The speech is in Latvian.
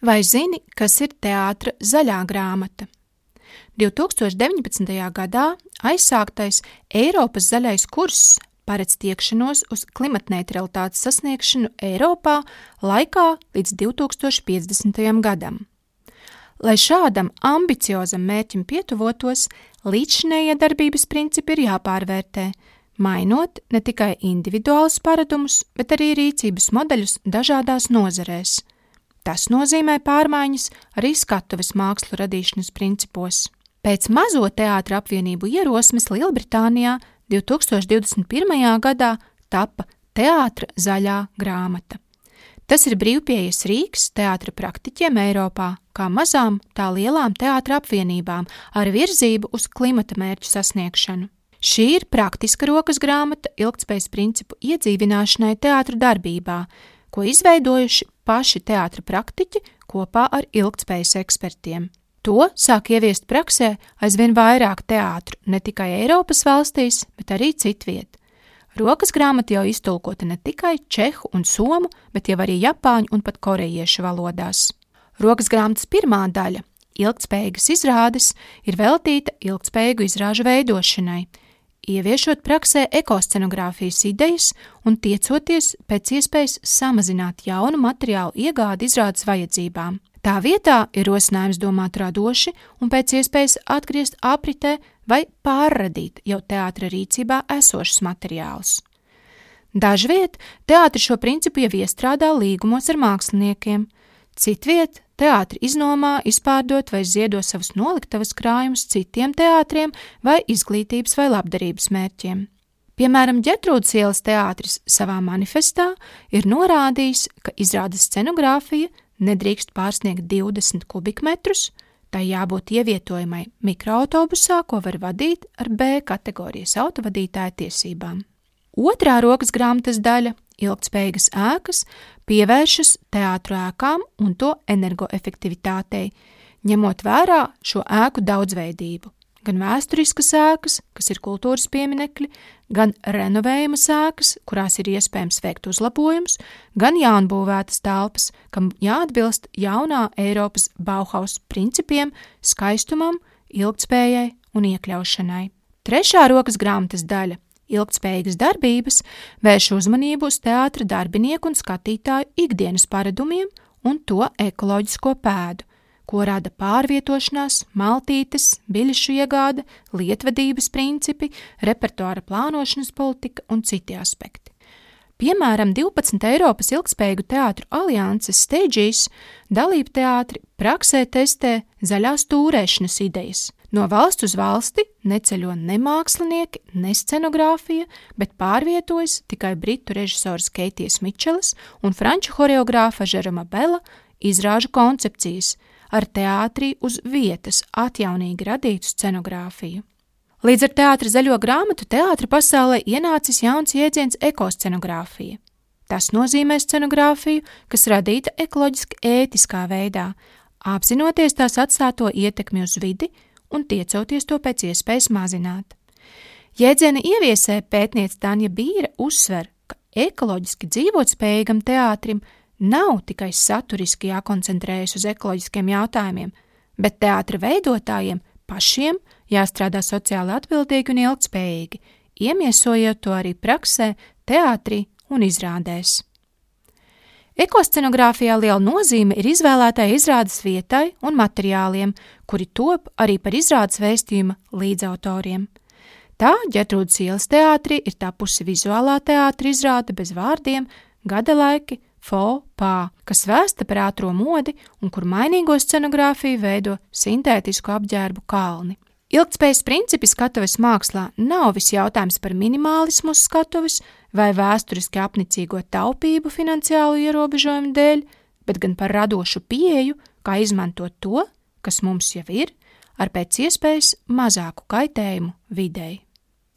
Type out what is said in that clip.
Vai zini, kas ir teātra zaļā grāmata? 2019. gadā aizsāktais Eiropas zaļais kurss paredz tiekšanos uz klimatneitralitātes sasniegšanu Eiropā laikā līdz 2050. gadam. Lai šādam ambiciozam mērķim pietuvotos, līdzšinējie darbības principi ir jāpārvērtē, mainot ne tikai individuālus paradumus, bet arī rīcības modeļus dažādās nozarēs. Tas nozīmē pārmaiņas arī skatuves mākslu radīšanas principos. Pēc Mazo teātra apvienību ierosmes Lielbritānijā 2021. gadā tapa Teātra zaļā grāmata. Tas ir brīvpieejas rīks teātra praktiķiem Eiropā, kā mazām, tā lielām teātra apvienībām ar virzību uz klimata mērķu sasniegšanu. Šī ir praktiska rokas grāmata ilgtspējas principu iedzīvināšanai teātra darbībā, ko izveidojuši paši teātra praktiķi kopā ar ilgtspējas ekspertiem. To sāk ieviest praksē aizvien vairāk teātru, ne tikai Eiropas valstīs, bet arī citviet. Rokas grāmata jau iztulkota ne tikai čehu un somu, bet jau arī japāņu un pat korejiešu valodās. Rokas grāmatas pirmā daļa, ilgtspējīgas izrādes, ir veltīta ilgtspējīgu izrāžu veidošanai, ieviešot praksē ekoscenogrāfijas idejas un tiecoties pēc iespējas samazināt jaunu materiālu iegādi izrādes vajadzībām. Tā vietā ir rosinājums domāt radoši un pēc iespējas atgriezt apritē vai pārradīt jau teātra rīcībā esošus materiālus. Dažviet teātri šo principu jau iestrādā līgumos ar māksliniekiem, citviet teātri iznomā, izpārdot vai ziedo savus noliktavas krājumus citiem teātriem vai izglītības vai labdarības mērķiem. Piemēram, Ģertrūdes ielas teātris savā manifestā ir norādījis, ka izrādes scenogrāfija nedrīkst pārsniegt 20 kubikmetrus, tai jābūt ievietojamai mikroautobusā, ko var vadīt ar B kategorijas autovadītāja tiesībām. Otrā rokas grāmatas daļa, ilgtspējīgas ēkas, pievēršas teātru ēkām un to energoefektivitātei, ņemot vērā šo ēku daudzveidību. Gan vēsturiskas ēkas, kas ir kultūras pieminekļi, gan renovējumas ēkas, kurās ir iespējams veikt uzlabojumus, gan jaunbūvētas telpas, kam jāatbilst jaunā Eiropas Bauhaus principiem, skaistumam, ilgtspējai un iekļaušanai. Trešā rokas grāmatas daļa, ilgtspējīgas darbības, vērš uzmanību uz teātra darbinieku un skatītāju ikdienas paradumiem un to ekoloģisko pēdu, ko rada pārvietošanās, maltītes, biļešu iegāde, lietvedības principi, repertuāra plānošanas politika un citi aspekti. Piemēram, 12 Eiropas ilgtspējīgu teātru alianses Stages dalību teātri praksē testē zaļās tūrēšanas idejas. No valsts uz valsti neceļo ne mākslinieki, ne scenogrāfija, bet pārvietojas tikai britu režisors Keitijas Mičeles un franču horeogrāfa Žeroma Bela izrāžu koncepcijas, ar teātrī uz vietas atjaunīgi radītu scenogrāfiju. Līdz ar teātra zaļo grāmatu teātra pasaulē ienācis jauns jēdziens ekoscenogrāfija. Tas nozīmē scenogrāfiju, kas radīta ekoloģiski ētiskā veidā, apzinoties tās atstāto ietekmi uz vidi un tiecoties to pēc iespējas mazināt. Jēdziena ieviesē pētniece Tanja Bīra uzsver, ka ekoloģiski dzīvotspējīgam teātrim nav tikai saturiski jākoncentrējas uz ekoloģiskiem jautājumiem, bet teātra veidotājiem pašiem jāstrādā sociāli atbildīgi un ilgtspējīgi, iemiesojot to arī praksē, teātrī un izrādēs. Ekoscenogrāfijā liela nozīme ir izvēlētai izrādes vietai un materiāliem, kuri top arī par izrādes vēstījuma līdzautoriem. Tā Ģertrūdes ielas teātrī ir tapusi vizuālā teātra izrāde bez vārdiem, gada laiki, faux pas, kas vēsta par ātro modi un kur mainīgo scenogrāfiju veido sintētisku apģērbu kalni. Ilgtspējas principi skatuves mākslā nav viss jautājums par minimālismu uz skatuves vai vēsturiski apnicīgo taupību finansiālu ierobežojumu dēļ, bet gan par radošu pieeju, kā izmantot to, kas mums jau ir, ar pēc iespējas mazāku kaitējumu videi.